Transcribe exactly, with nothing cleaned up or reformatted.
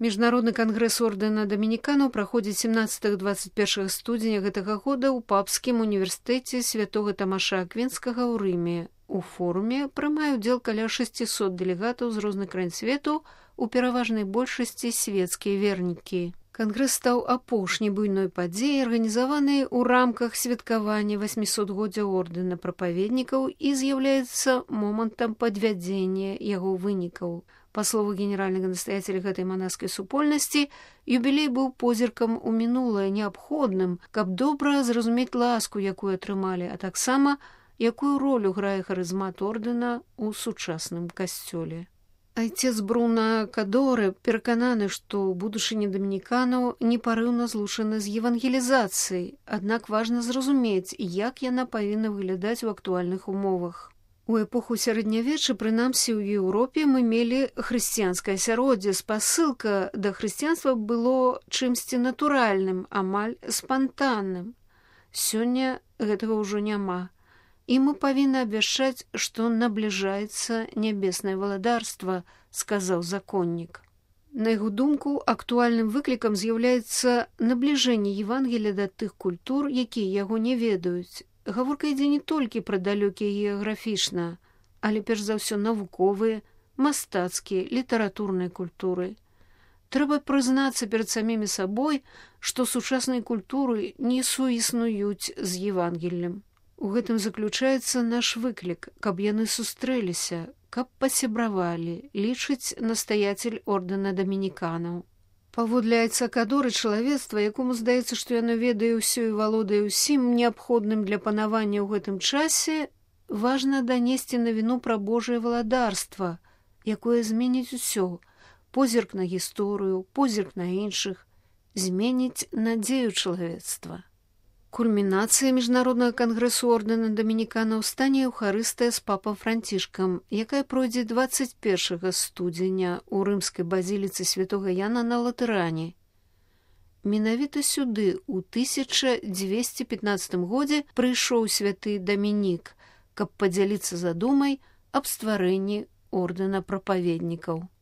Міжнародны кангрэс ордэна дамініканаў праходзіць семнаццатага-дваццаць першага студзеня гэтага года ў папскім універсітэце святога Тамаша Аквінскага ў Рыме. У форуме прымае ўдзел каля шасцісот дэлегатаў з розных краін свету, у пераважнай большасці свецкія вернікі. Кангрэс стаў апошняй буйной падзеяй, арганізаванай у рамках святкавання васьмісотгоддзя ордэна прапаведнікаў і з'яўляецца момантам падвядзення яго вынікаў. Па слову генеральнага настаяцеля гэтай манаскай супольнасці, юбілей быў позіркам у мінулае, неабходным, каб добра зразумець ласку, якую атрымалі, а таксама, якую ролю грае харызмат ордэна ў сучасным касцёле. Айцец Бруна Кадорэ перакананы, што будучыня дамініканаў непарыўна злучана з евангелізацыяй, аднак важна зразумець, як яна павінна выглядаць у актуальных умовах. У эпоху сярэднявечча, прынамсі ў Еўропе, мы мелі хрысціянскае асяроддзе. Спасылка да хрысціянства было чымсьці натуральным, амаль спантанным. Сёння гэтага ўжо няма. І мы павінны абвяшчаць, што набліжаецца нябеснае валадарства, сказаў законнік. На яго думку, актуальным выклікам з'яўляецца набліжэнне Евангелія да тых культур, якія яго не ведаюць. Гаворка ідзе не толькі пра далёкія геаграфічна, але перш за ўсё навуковыя, мастацкія, літаратурныя культуры. Трэба прызнацца перад самімі сабой, што сучасныя культуры не суіснуюць з Евангеллем. У гэтым заключаецца наш выклік, каб яны сустрэліся, каб пасябравалі, лічыць настаяцель ордэна дамініканаў. Паводле айца Кадоры, чалавецтва, якому здаецца, што яно ведае ўсё і валодае ўсім неабходным для панавання ў гэтым часе, важна данесці навіну пра Божае валадарства, якое зменіць усё, позірк на гісторыю, позірк на іншых, зменіць надзею чалавецтва. Кульмінацыя міжнароднага кангрэсу ордэна дамініканаў стане еўхарыстыя з папам Францішкам, якая пройдзе дваццаць першага студзеня ў рымскай базіліцы святога Яна на Латэране. Менавіта сюды ў тысяча дзвесце пятнаццатым годзе прыйшоў святы Дамінік, каб падзяліцца задумай аб стварэнні ордэна прапаведнікаў.